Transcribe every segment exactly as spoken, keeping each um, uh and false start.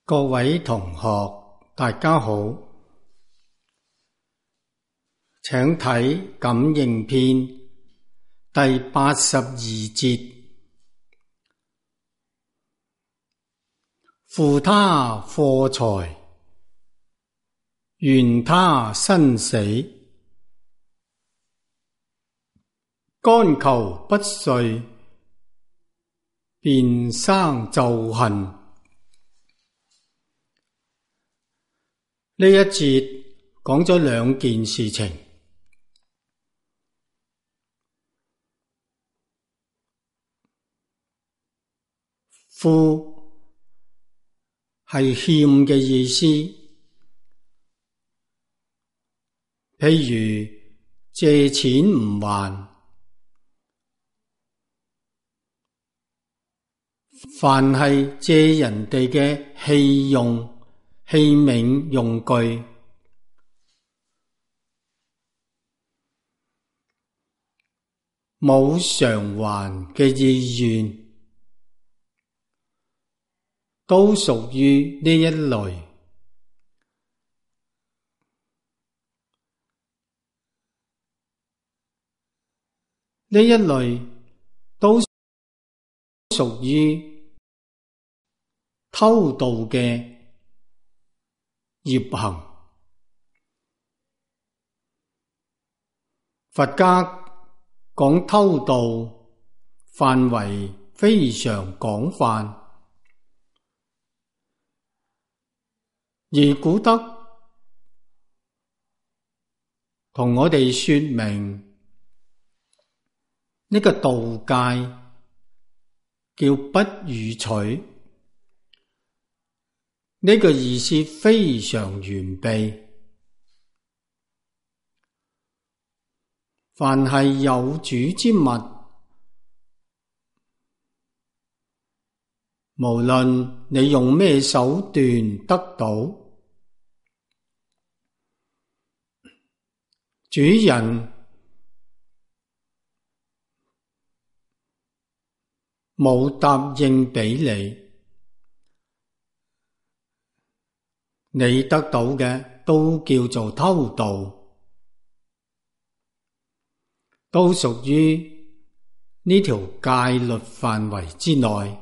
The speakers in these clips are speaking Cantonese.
各位同學，大家好，請睇《感應篇》第八十二節。負他貨財，緣他生死，干求不遂，便生咒恨。呢一節講咗兩件事情。負係欠嘅意思，譬如借錢唔還，凡係借人哋嘅器用、器皿用具，冇償還嘅意願，都屬於呢一類。呢一類都屬於偷盜嘅業行。佛家講偷盜範圍非常廣泛，而古德同我哋說明呢個盜戒叫不與取，呢個意思非常完備。凡係有主之物，無論你用咩手段得到，主人冇答應俾你，你得到嘅都叫做偷盜，都屬於呢條戒律範圍之內。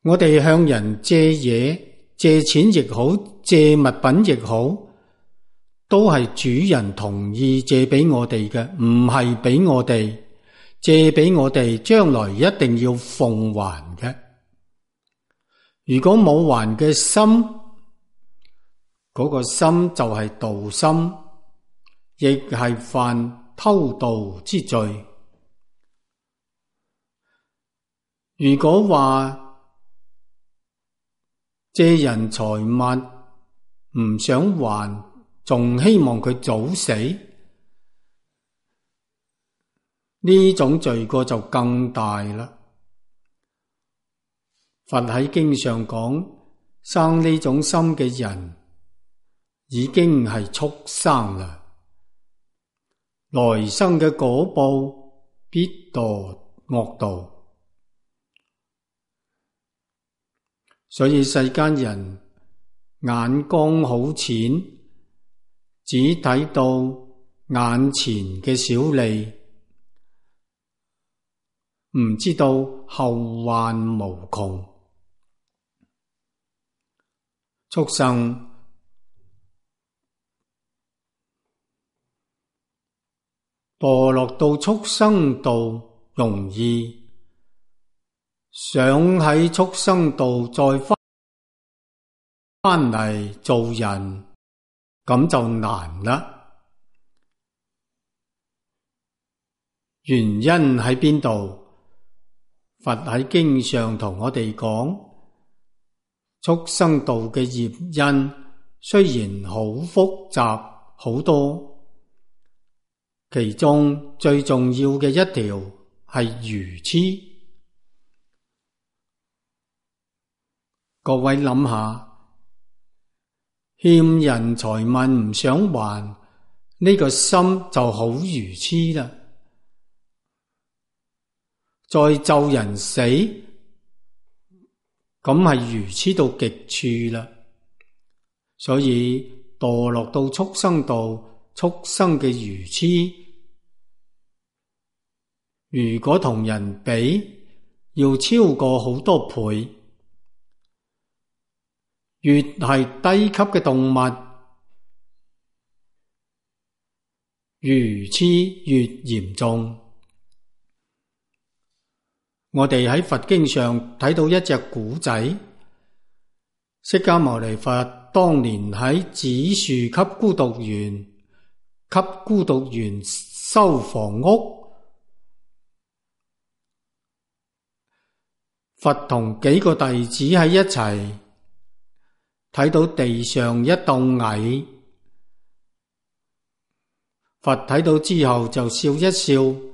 我哋向人借嘢、借錢亦好，借物品亦好，都係主人同意借俾我哋嘅，唔係俾我哋。借俾我哋，將來一定要奉還嘅。如果冇還嘅心，嗰個心就係盜心，亦係犯偷盜之罪。如果話借人財物唔想還，仲希望佢早死，呢種罪過就更大啦。佛喺經上講，生呢種心嘅人已經係畜生啦，來生嘅果報必墮惡道。所以世間人眼光好淺，只睇到眼前嘅小利，唔知道後患無窮。畜生墮落到畜生道容易，想喺畜生道再返返嚟做人，咁就難啦。原因喺邊度？佛喺經上同我哋講，畜生道嘅業因雖然好複雜好多，其中最重要嘅一條係愚癡。各位諗下，欠人財物唔想還，呢個心就好愚癡啦。再咒人死，咁係愚痴到極處啦。所以墮落到畜生道，畜生嘅愚痴，如果同人比，要超過好多倍。越係低級嘅動物，愚痴越嚴重。我哋喺佛經上睇到一隻古仔，釋迦牟尼佛當年喺紫樹給孤獨園，給孤獨園修房屋。佛同幾個弟子喺一齊，睇到地上一竇蟻，佛睇到之後就笑一笑。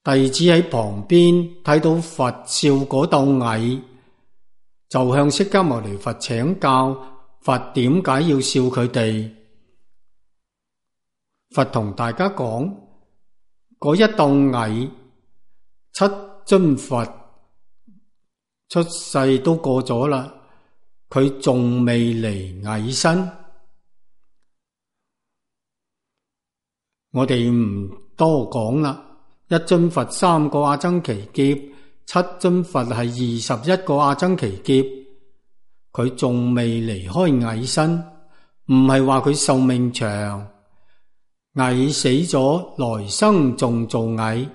弟子喺旁邊睇到佛笑嗰竇蟻，就向釋迦牟尼佛請教，佛點解要笑佢哋？佛同大家講，嗰一竇蟻，七尊佛出世都過咗啦，佢仲未離蟻身。我哋唔多講啦。一尊佛三個阿僧祇劫，七尊佛係二十一個阿僧祇劫，佢仲未離開蟻身，唔係話佢壽命長，蟻死咗，來生仲做蟻。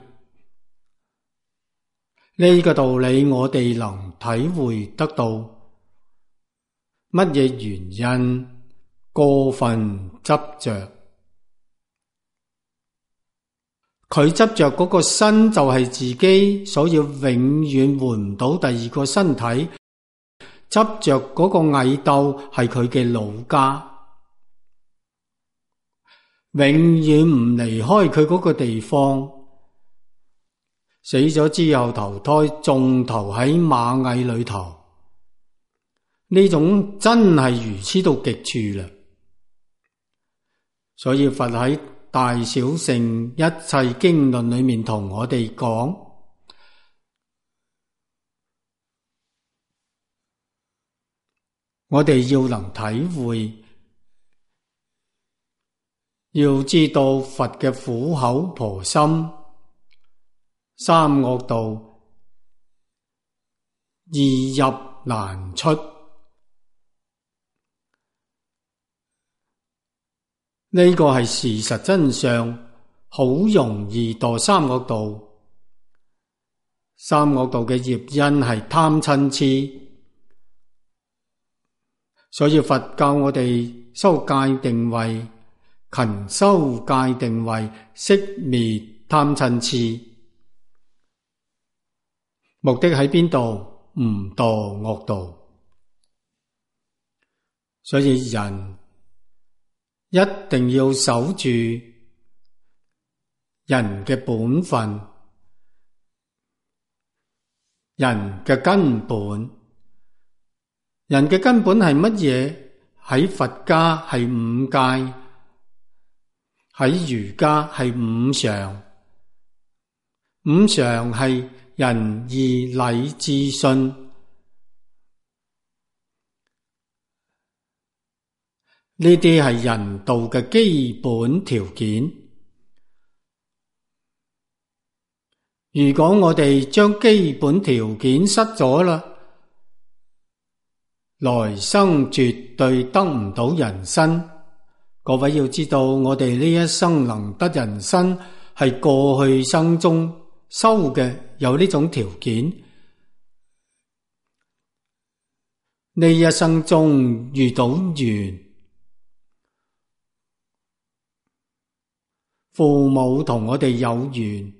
呢個道理我哋能體會得到。乜嘢原因？過分執着。佢執着嗰個身就係自己，所以永遠換唔到第二個身體。執着嗰個蟻竇係佢嘅老家，永遠唔離開佢嗰個地方。死咗之後投胎，仲投喺螞蟻裏頭。呢種真係愚痴到極處啦。所以佛喺大小乘一切經論裏面同我哋講，我哋要能體會，要知道佛嘅苦口婆心，三惡道易入難出。呢個係事實真相，好容易墮三惡道。三惡道嘅業因係貪嗔癡，所以佛教我哋修戒定慧，勤修戒定慧，息滅貪嗔癡。目的喺邊度？唔墮惡道。所以人一定要守住人嘅本分，人嘅根本。人嘅根本係乜嘢？喺佛家係五戒，喺儒家係五常。五常係仁義禮智信。呢啲係人道嘅基本條件。如果我哋將基本條件失咗啦，來生絕對得唔到人身。各位要知道，我哋呢一生能得人身，係過去生中修嘅，有呢種條件。呢一生中遇到緣，父母同我哋有緣，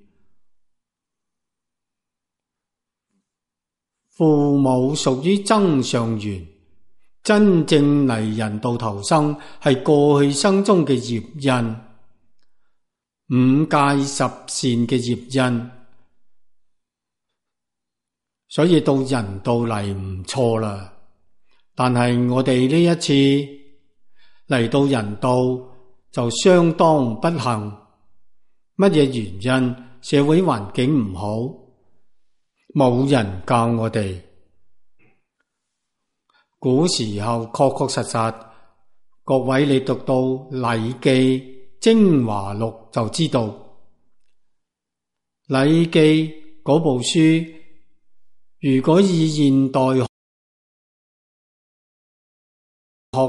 父母屬於增上緣，真正嚟人道投生係過去生中嘅業因，五戒十善嘅業因，所以到人道嚟唔錯啦。但係我哋呢一次嚟到人道就相當不幸。乜嘢原因？社會環境唔好，冇人教我哋。古時候確確實實，各位你讀到《禮記》精華錄就知道，《禮記》嗰部書，如果以現代學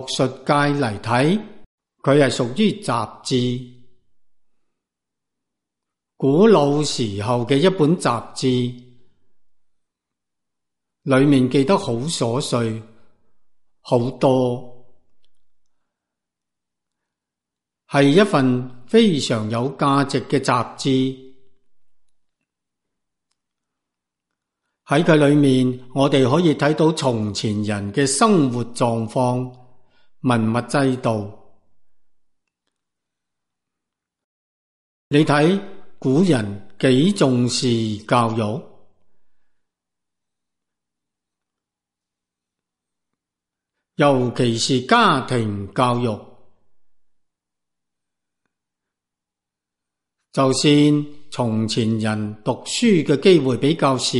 術界嚟睇，佢係屬於雜誌。古老時候嘅一本雜誌，裏面記得好瑣碎，好多，係一份非常有價值嘅雜誌。喺佢裏面，我哋可以睇到從前人嘅生活狀況、文物制度。你睇古人幾重視教育，尤其是家庭教育。就算從前人讀書嘅機會比較少，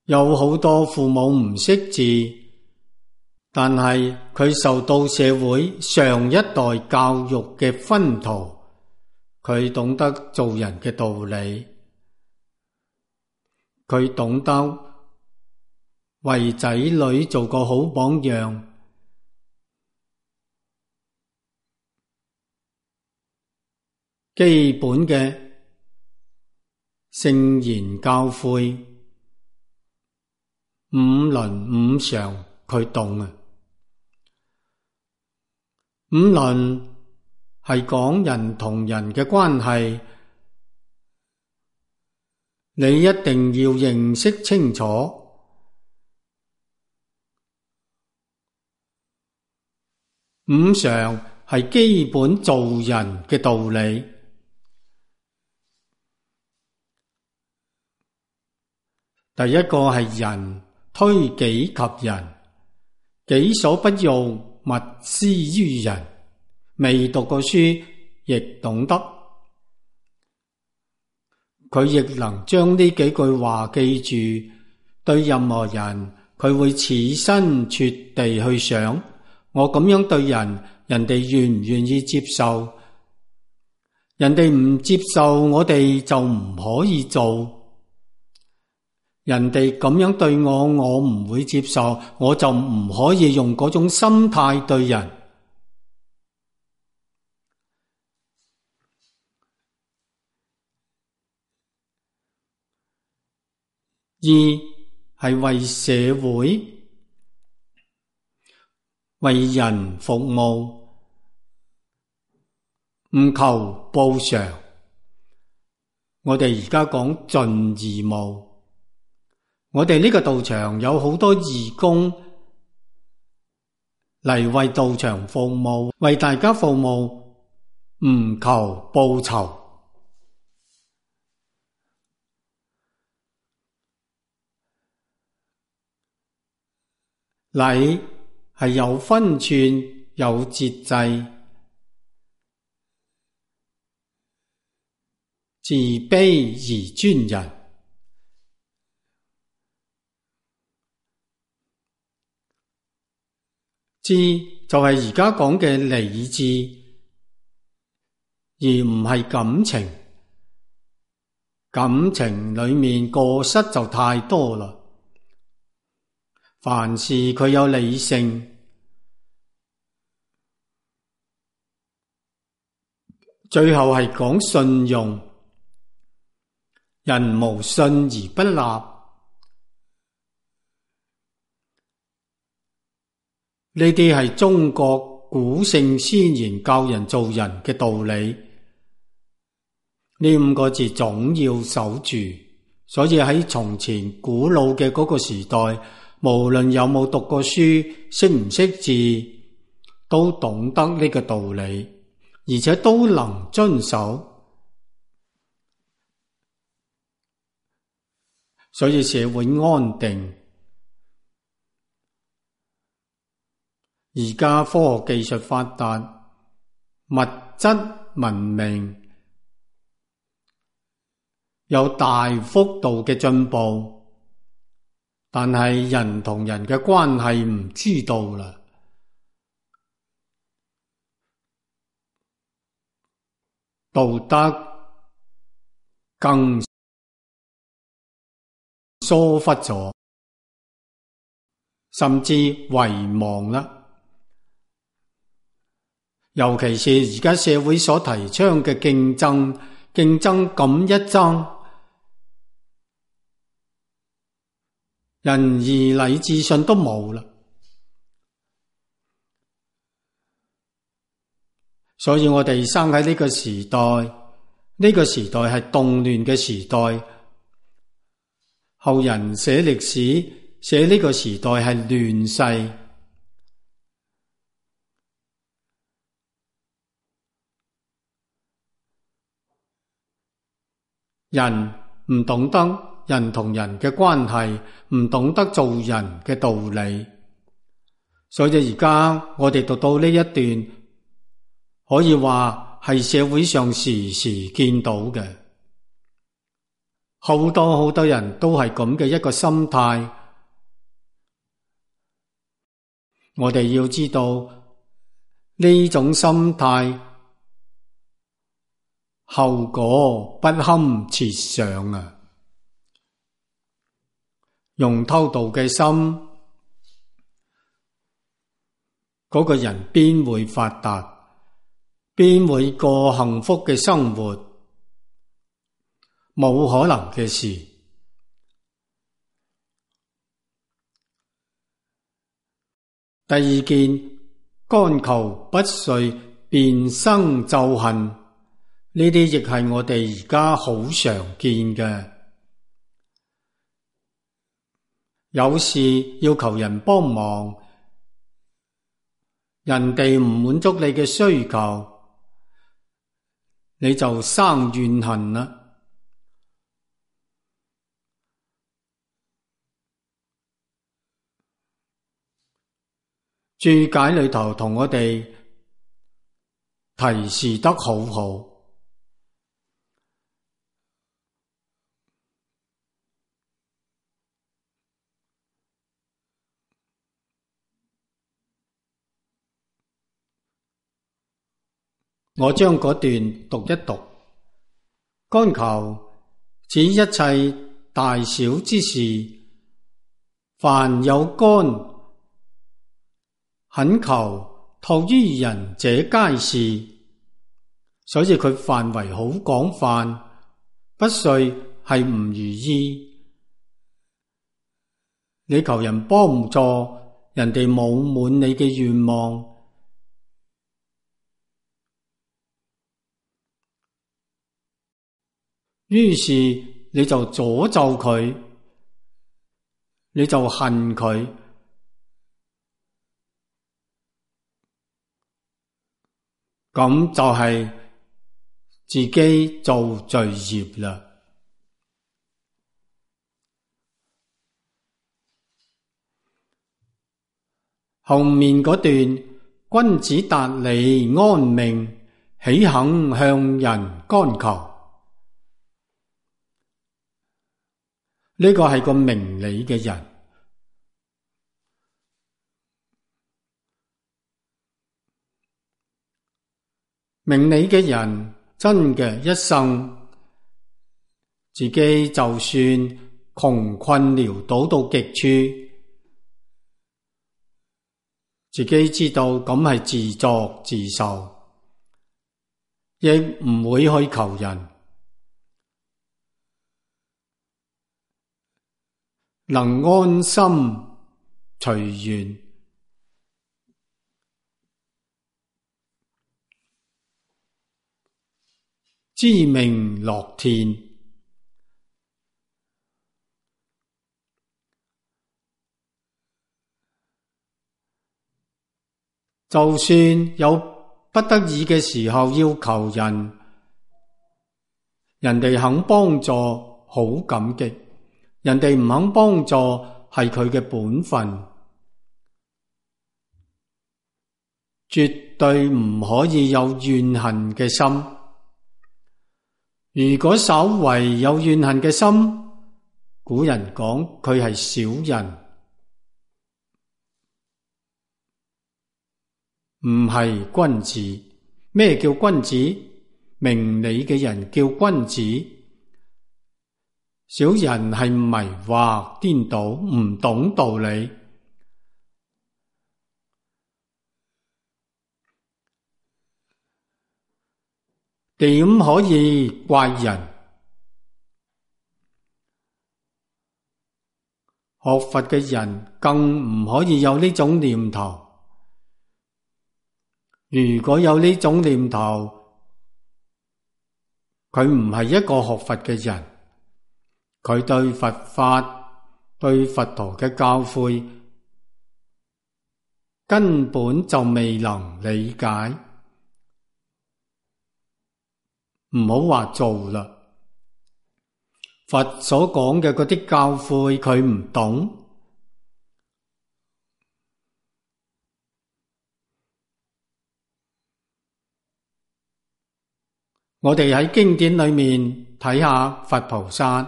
有好多父母唔識字，但係佢受到社會上一代教育嘅熏陶，佢懂得做人嘅道理，佢懂得為仔女做個好榜樣。基本嘅聖言教誨、五倫五常，佢懂啊。五倫係講人同人嘅關係，你一定要認識清楚。五常係基本做人嘅道理。第一個係人推己及人，己所不欲，勿施於人。未讀過書亦懂得，佢亦能將呢幾句話記住。對任何人，佢會設身處地去想，我咁樣對人，人哋願唔願意接受？人哋唔接受，我哋就唔可以做。人哋咁樣對我，我唔會接受，我就唔可以用嗰種心態對人。二係為社會、為人服務，唔求報償。我哋而家講盡義務。我哋呢個道場有好多義工嚟為道場服務，為大家服務，唔求報酬。禮係有分寸、有節制，自卑而尊人。智就係而家講嘅理智，而唔係感情。感情裏面過失就太多啦。凡事佢有理性，最後係講信用。人無信而不立，呢啲係中國古聖先賢教人做人嘅道理。呢五個字總要守住。所以喺從前古老嘅嗰個時代，無論有冇讀過書，識唔識字，都懂得呢個道理，而且都能遵守。所以社會安定。而家科學技術發達，物質文明有大幅度嘅進步，但係人同人嘅關係唔知道啦，道德更疏忽咗，甚至遺忘啦。尤其是而家社會所提倡嘅競爭，競爭咁一爭，仁義禮智信都冇啦。所以我哋生喺呢個時代，呢個時代係動亂嘅時代。後人寫歷史，寫呢個時代係亂世。人唔懂得人同人嘅關係，唔懂得做人嘅道理，所以而家我哋讀到呢一段，可以話係社會上時時見到嘅，好多好多人都係咁嘅一個心態。我哋要知道呢種心態後果不堪設想啊！用偷盜嘅心，嗰個人邊會發達，邊會過幸福嘅生活？冇可能嘅事。第二件，干求不遂，便生咒恨，呢啲亦係我哋而家好常見嘅。有事要求人幫忙，人哋唔滿足你嘅需求，你就生怨恨啦。注解裏頭同我哋提示得好好。我將嗰段讀一讀。干求指一切大小之事，凡有干，懇求託於人者皆是，所以佢範圍好廣泛。不遂係唔如意，你求人幫助，人哋冇滿你嘅願望，於是你就詛咒佢，你就恨佢，咁就係自己做罪業啦。後面嗰段，君子達理安命，豈肯向人干求？呢個係個明理嘅人，明理嘅人真嘅一生，自己就算窮困潦倒到極處，自己知道咁係自作自受，亦唔會去求人。能安心隨緣，知命樂天。就算有不得已嘅時候要求人，人哋肯幫助，好感激。人哋唔肯幫助，係佢嘅本分，絕對唔可以有怨恨嘅心。如果稍為有怨恨嘅心，古人講佢係小人，唔係君子。咩叫君子？明理嘅人叫君子。小人係迷惑顛倒，唔懂道理。點可以怪人？學佛嘅人更唔可以有呢種念頭。如果有呢種念頭，佢唔係一個學佛嘅人，佢對佛法、對佛陀嘅教誨根本就未能理解。唔好話做啦，佛所講嘅嗰啲教誨佢唔懂。我哋喺經典裏面睇下佛菩薩，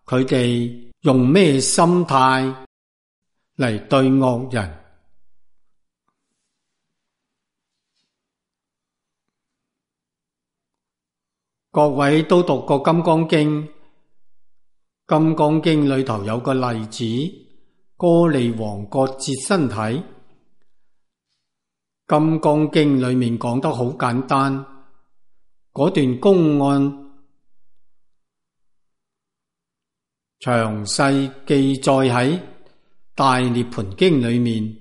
佢哋用咩心態嚟對惡人？各位都讀過《金剛經》，《金剛經》裏頭有個例子，歌利王割截身體。《金剛經》裏面講得好簡單，嗰段公案詳細記載喺《大涅槃經》裏面。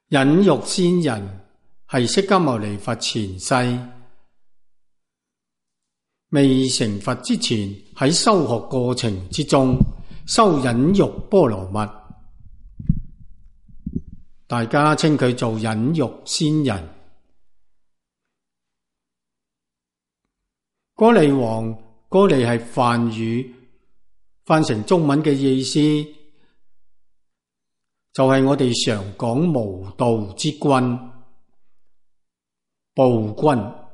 忍辱仙人係釋迦牟尼佛前世未成佛之前，喺修學過程之中修忍辱波羅蜜，大家稱佢做忍辱仙人。歌利王，歌利係梵語，翻成中文嘅意思就係我哋常講無道之君、暴君。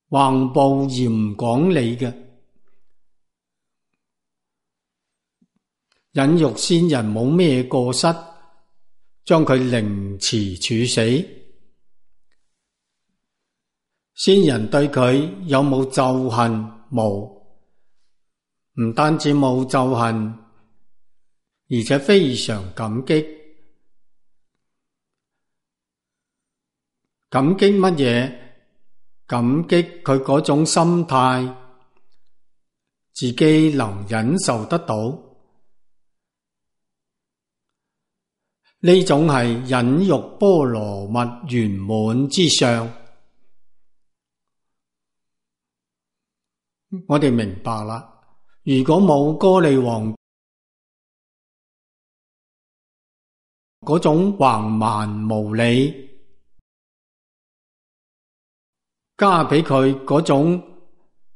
橫暴而唔講理嘅。忍辱仙人冇咩過失，將佢凌遲處死。仙人對佢有冇咒恨？冇，唔單止冇咒恨，而且非常感激。感激乜嘢？感激佢嗰種心態，自己能忍受得到，呢種係忍辱波羅蜜圓滿之相。我哋明白啦，如果冇歌利王嗰種橫蠻無理，加俾佢嗰種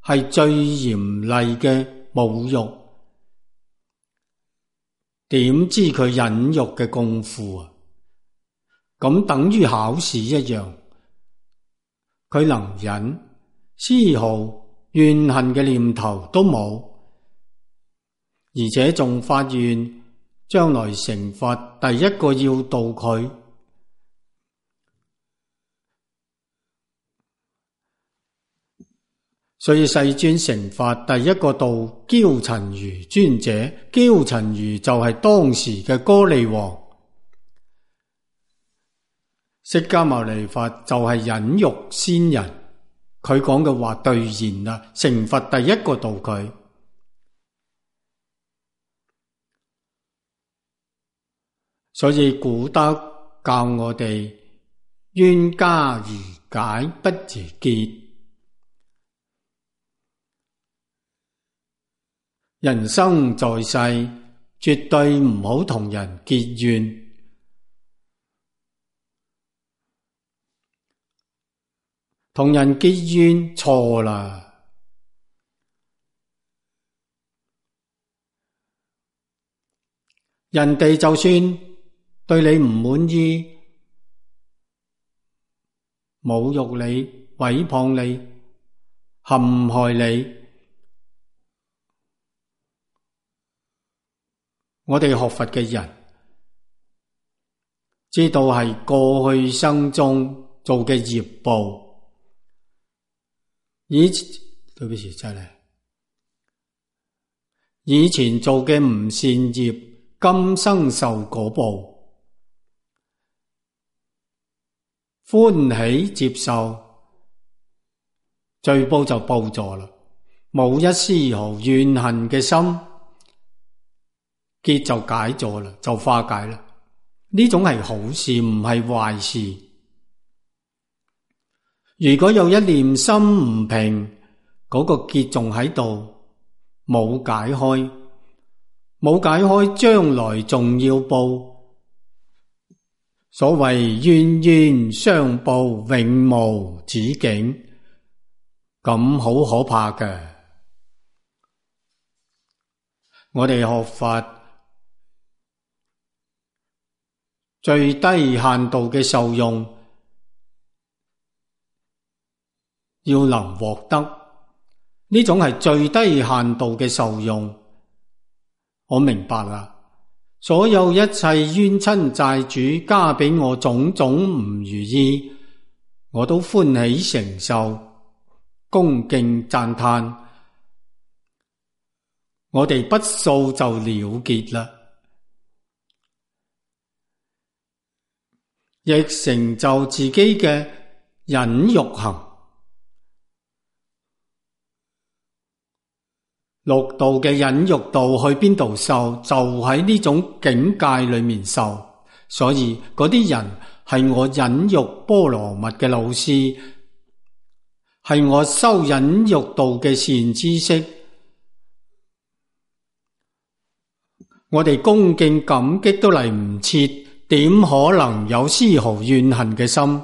係最嚴厲嘅侮辱，點知佢忍辱嘅功夫啊？咁等於考試一樣，佢能忍，絲毫怨恨嘅念頭都冇，而且仲發願將來成佛第一個要度佢。所以世尊成佛第一個度憍陳如尊者，憍陳如就係當時嘅歌利王，釋迦牟尼佛就係忍辱仙人，佢講嘅話兌現啦，成佛第一個度佢。所以古德教我哋冤家宜解不宜結。人生在世，絕對唔好同人結怨。同人結怨錯啦。人哋就算對你唔滿意，侮辱你、毀謗你、陷害你，我哋學佛嘅人知道係過去生中做嘅業報。以前對不起，真係以前做嘅唔善業，今生受果報，歡喜接受，罪報就報咗啦，冇一絲毫怨恨嘅心，結就解咗啦，就化解啦。呢種係好事，唔係壞事。如果有一念心唔平，嗰個結仲喺度，冇解開，冇解開，將來仲要報。所謂冤冤相報，永無止境，咁好可怕嘅。我哋學法最低限度嘅受用，要能獲得，呢種係最低限度嘅受用。我明白啦，所有一切冤親債主加俾我種種唔如意，我都歡喜承受，恭敬讚嘆，我哋不訴就了結啦，亦成就自己嘅忍辱行。六道嘅忍辱道去邊度受？就喺呢種境界裏面受。所以嗰啲人係我忍辱波羅蜜嘅老師，係我修忍辱道嘅善知識。我哋恭敬感激都嚟唔切，點可能有絲毫怨恨嘅心？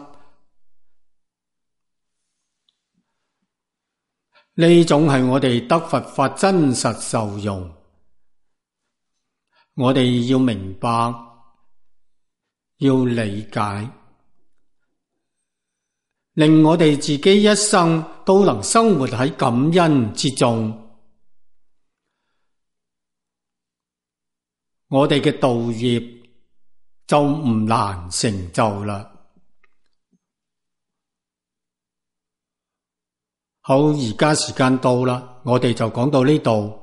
呢種係我哋得佛法真實受用，我哋要明白，要理解，令我哋自己一生都能生活喺感恩之中，我哋嘅道業就唔難成就啦。好，而家時間到啦，我哋就講到呢度。